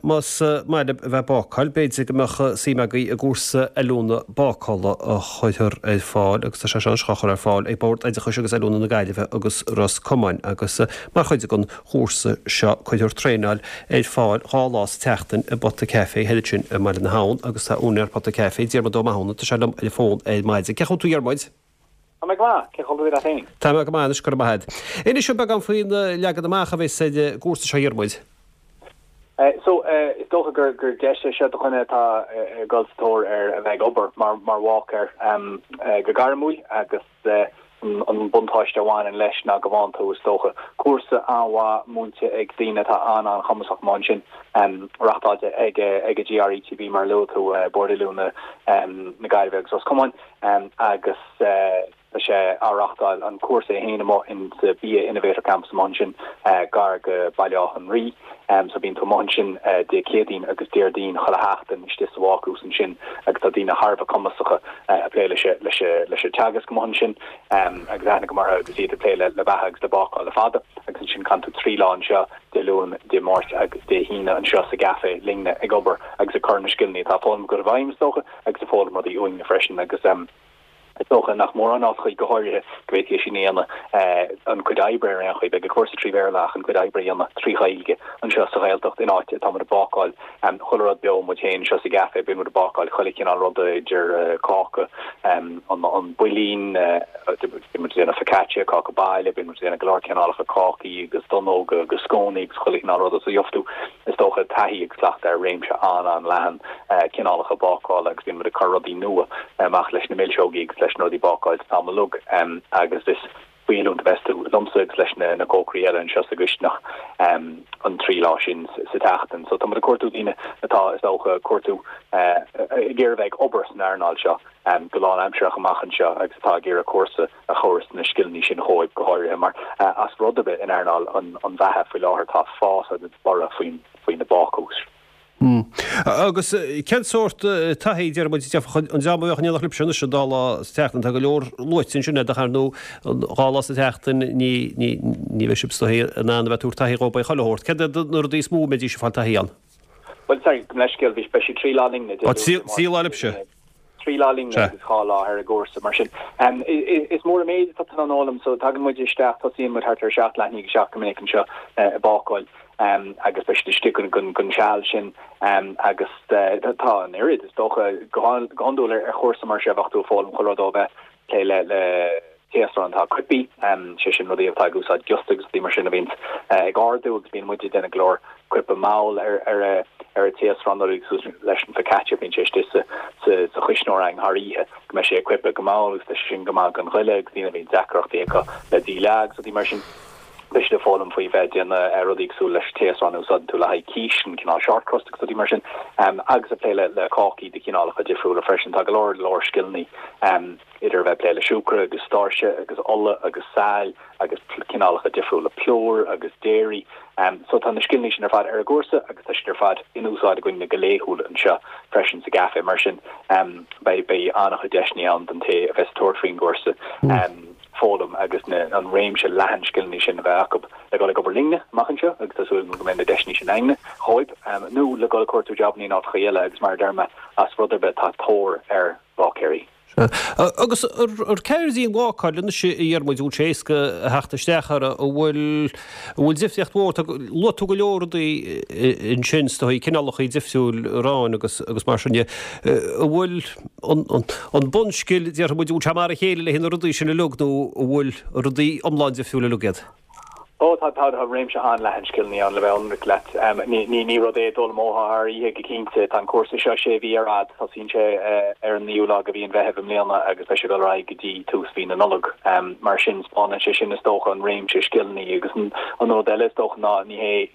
Más maith libh a bheith ag bácáil, b'fhéidir go mbeadh suim agaibh i gcúrsa oiliúna bácála a chuirfear ar fáil, agus tá sé seo anois á chur ar fáil ag Bord Oideachais agus Oiliúna na Gaillimhe agus Ros Comáin, agus mar chuid den chúrsa seo cuirfear traenáil ar fáil 2 lá sa tseachtain i bPota Café, thoir ansin i mBaile na hAbhann, agus tá úinéir Pota Café, Diarmuid Ó Mathúna, tá sé liom ar an bhfón ar maidin. Cén chaoi a bhfuil tú a Dhiarmuid? Tá mé go maith. Cén chaoi a bhfuil tú leat féin? Tá mé go maith anois, go raibh maith agat. Inis dom beagán faoin leagan amach a bheas ar an gcúrsa seo a Dhiarmuid. So, is dócha gur gur deis é seo do dhuine atá ag dul sa tóir ar a bheith ag obair mar mar bháicéir go gairmiúil agus an buntáiste a bhaineann leis ná go bhfaigheann tú, is dócha, cúrsa an-mhaith múinte ag daoine atá an-an-chumasach amuigh ansin, reachtáilte ag ag an GRETB mar a luaigh tú, Bord Oiliúna na Gaillimhe agus Ros Comáin. agus tá sé á reachtáil, an cúrsa é féin amuigh in sa Bia Innovator Campus amuigh ansin gar go Baile Átha an Rí. So bíonn tú amuigh ansin Dé Céadaoin agus Déardaoin chuile sheachtain istigh sa bhácús ansin agus tá daoine thar a bheith cumasacha ag plé leis leis leis an teagasc amuigh ansin agus aithne agam orthu agus iad ag plé le le beatha agus le bácáil le fada agus ansin caitheann tú 3 lá anseo Dé Luain, Dé Máirt agus Dé hAoine anseo sa gcaife linne ag obair agus ag cur na scileanna atá foghlamtha agat i bhfeidhm is dócha. agus ag foghlaim rudaí uainne freisin agus is dócha nach mórán áiteachaí go háirithe go bhféadfaí é sin a dhéanamh, an cuid oibre ar aon chaoi. Beidh an cúrsa trí Bhéarla ach an cuid oibre a dhéanamh trí Ghaeilge anseo sa Ghaeltacht in áit atá muid ag bácáil chuile rud beo muid féin anseo sa gcaife, bíonn muid ag bácáil chuile chineál ruda idir cáca, an builín, bíonn muid ag déanamh focaccia, cáca baile, bíonn muid ag déanamh go leor cineálacha cácaí agus donnóga agus scónaí agus chuile chineál ruda so gheobhaidh tú Is dócha, taithí agus cleachtadh ar réimse an-an-leathan cineálacha bácála agus bíonn muid ag cur rudaí nua amach leis na milseogaí agus leis na rudaí bácáilte an t-am uilig agus is faoi oiliúint a bheas tú liomsa agus leis na cócairí eile anseo sa gcistineach an trí lá sin sa tseachtain. So tá muid ag cuartú daoine atá, is dócha, ag cuartú, ag iarraidh bheith ag obair san earnáil seo go lánaimsearach amach anseo agus atá ag iarraidh cúrsa a thabharfas na scileanna sin dhóibh, go háirithe mar as rud ar bith in earnáil an bheatha faoi láthair tá fás agus borradh faoi na bácúis. Agus cén sórt taithí, deir muid, an dream a bheadh in éineacht libhse anois an dá lá sa tseachtain, tá go leor luaite ansin ach ar ndóigh an dhá lá sa tseachtain ní bheidh sibh is dóigh in ann a bheith ag tabhairt taithí dhóibh chuile shórt. Céard iad na rudaí is mó a mbeidís ag fáil taithí ann? Bhuel, sorry, gabh mo leithscéal, beidh sé trí lá linne. Trí lá libhse? 3 lá linne agus 2 lá ar an gcúrsa, mar sin. Is mór an méid atá tú in ann a fhoghlaim, so tagann muid isteach, tosaíonn muid thart ar 7, leath i ndiaidh 7 go minic anseo ag bácáil agus beidh siad istigh don seal sin agus tá an oiread, is dócha, go hiondúil ar chúrsa mar seo bheadh tú ag foghlaim chuile rud ó bheith ag plé le taosrán atá coipthe, sé sin rudaí atá ag úsáid giosta agus rudaí mar sin a bhíonns ag ardú agus bíonn muid ag déanamh go leor coipeadh mall ar ar an taosrán nuair a leis an focaccia bíonn sé istigh sa sa chuisneoir againn thar oíche go mbeidh sé ag coipeadh go mall agus tá sé sin go maith don ghoile agus daoine a bhíonn deacrachtaí acu le díleá agus rudaí mar sin. Beidh siad ag foghlaim faoi bheith ag déanamh rudaí cosúil leis an taosrán a úsáideann tú le haghaidh quiche, an cineál short crust agus rudaí mar sin agus ag plé le le cácaí de chineálacha difriúla freisin. Tá go leor leor scileanna idir a bheith ag plé le siúcra agus stáirse agus ola agus saill agus cineálacha difriúla plúir agus déirí. So tá na scileanna sin ar fad ar an gcúrsa agus tá siad ar fad in úsáid againne go laethúil anseo freisin sa gcaife. Mar sin beidh beidh an-chuid deiseanna ann don té a bheas ag tabhairt faoin gcúrsa foghlaim agus na an réimse leathan scileanna sin a bheith acu le dul ag obair linne amach anseo agus tá súil agam go mbeidh na deiseanna sin againne dhóibh nó le dul ag cuartú jabanna in áiteacha eile agus mar a deir mé as rud ar bith tá tóir ar bháicéirí. Sea. Agus ar ceird í an bhácáil anois a Dhiarmuid, an bhfuil sé éasca a theacht isteach uirthi, an bhfuil, an bhfuil difríocht mhór, tá, luaigh tú go leor rudaí ansin is dóigh, cineálacha difriúil aráin agus, agus mar sin de. An bhfuil an, an, an bunscil, déarfaidh muid, an bhfuil sé mar a chéile le haghaidh na rudaí sin uilig nó an bhfuil rudaí iomlán difriúil uilig iad? Ó, tá, tá réimse an-leathan scileanna ann, le bheith ionraic leat. Ní, ní, ní rud é a d'fhoghlaimeofá thar oíche go cinnte. Tá an cúrsa seo sé mhí ar fhad. Tosaíonn sé ar an naoú lá de mhí an Mheithimh i mbliana agus beidh sé ag dul ar aghaidh go dtí tús mhí na Nollag. Mar sin, spáineann sé sin, is dócha, an réimse scileanna agus an, an rud eile, is dócha, ná ní hé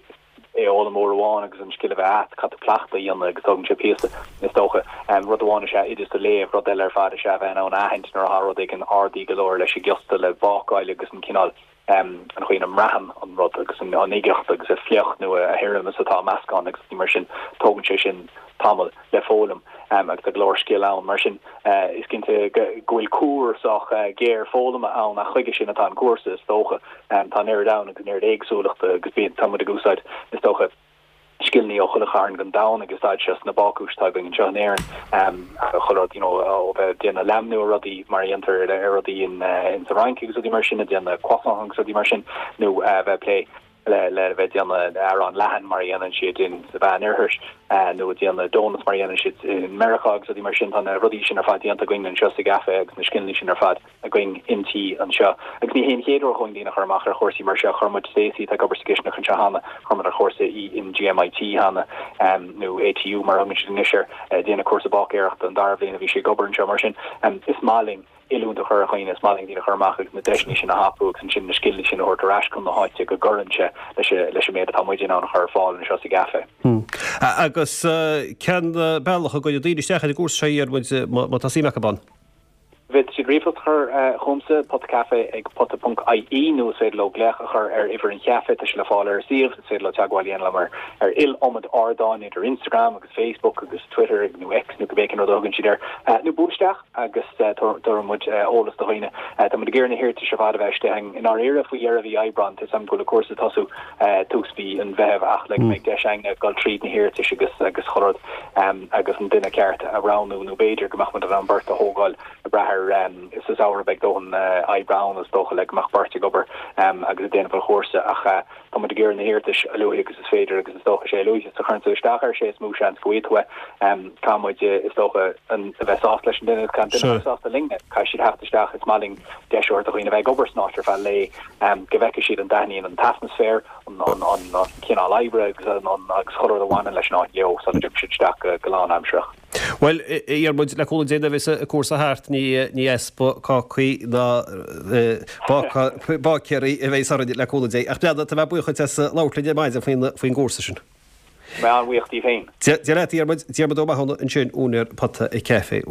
é a fhoghlaim uair amháin agus an scil a bheith agat, caithfidh tú cleachtadh a dhéanamh agus tógann sé píosa, is dócha. Rud amháin is ea oideas a léamh, rud eile ar fad is ea a bheith in ann a aithint nuair atá rud éigin ardaithe go leor leis an giosta le bácáil agus an cineál, an chaoi ina mbraitheann an rud agus an uigeacht agus a fliuch nó a thirim is atá an meascán agus mar sin, tógann sé sin tamall le foghlaim agus tá go leor scil ann. Mar sin, is cinnte go bhfuil cuar sách géar foghlama ann ach chuige sin atá an cúrsa, is dócha. Tá an oiread ann agus an oiread éagsúlachta agus bíonn, tá muid ag úsáid, is dócha. scileanna ó chuile chearn den domhan ag úsáid seo sna bácúis atá againn anseo in Éirinn, chuile rud, you know, ó bheith ag déanamh leamhnú ar rudaí mar a dhéantar ar rudaí in sa Fhrainc agus rudaí mar sin, ag déanamh croissant agus rudaí mar sin, nó a bheith ag plé le le bheith ag déanamh arán leathan mar a dhéanann siad in sa Mheánoirthear, nó ag déanamh donuts mar a dhéanann siad in Meiriceá agus rudaí mar sin. Tá na rudaí sin ar fad déanta againn anseo sa gcaife agus na scileanna sin ar fad. againn inti anseo. Agus ní hé an chéad uair dhúinn daoine a chur amach ar chúrsaí mar seo. Chuir muid Stacey, atá ag obair sa gcistineach anseo cheana, chuir muid ar chúrsa í in GMIT cheana, nó ATU mar a thugann siad anois air, ag déanamh cúrsa báicéireachta an dara bhliain a bhí sí ag obair anseo. Mar sin, is maith linn oiliúint a chur ar dhaoine, is maith linn daoine a chur amach agus na deiseanna sin a thapú agus ansin na scileanna sin a thabhairt ar ais chun na háite go gcuireann sé leis an méid atá muid in ann a chur ar fáil anseo sa gcaife. Agus cén bealach a gcuirfidh daoine isteach ar an gcúrsa seo, a Dhiarmuid, má tá suim acu ann? Féadfaidh siad ríomhphost a chur chugamsa, potacaife ag pota ponc ie, nó is féidir leo glaoch a chur ar uimhir an chaife, tá sé le fáil ar an suíomh, is féidir leo teagmháil a dhéanamh liom ar ar iliomad ardán, idir Instagram agus Facebook agus Twitter nó X nó cibé cén rud a thugann siad air, nó buail isteach agus tabharfaidh muid eolas do dhaoine. Tá muid ag iarraidh na hiarratais ar fad a bheith istigh i ndáiríre faoi dheireadh mhí Aibreáin, tá 'fhios a'm go bhfuil an cúrsa ag tosú tús mhí an Mheithimh ach le go mbeidh deis againne dul tríd na hiarratais agus agus chuile rud. agus an duine ceart a roghnú nó b'fhéidir go mbeadh muid in ann beirt a thógáil ag brath ar sa samhradh beidh dóthain oibre ann is dócha le go mbeadh beirt ag obair agus ag déanamh an chúrsa ach tá muid ag iarraidh na hiarratais a luaithe agus is féidir agus is dócha sé a luaithe is a chuireann tú isteach air sé is mó seans go bhfaighidh tú é. Caithfidh muid is dócha a bheith sásta leis an duine agus caithfidh an duine a bheith sásta linne. Caithfidh siad theacht isteach is maith linn deis a thabhairt do dhaoine a bheith ag obair san áit ar feadh lae go bhfeicfidh siad an dtaitníonn an t-atmaisféar an cineál oibre agus agus chuile rud a bhaineann leis an áit leo sula dtiocfaidh siad isteach go lánaimsearach. Bhuel, a Dhiarmuid, le cúnamh Dé nuair a bheas an cúrsa thart, ní easpa cácaí ná báicéirí a bheas orainn le cúnamh Dé. Ach breathnaigh, tá mé buíoch duit as labhairt linn ar maidin faoin gcúrsa sin. Mé an-bhuíoch díbh féin. Dia leat, a Dhiarmuid. Diarmuid Ó Mathúna ansin, úinéir Pota Caife.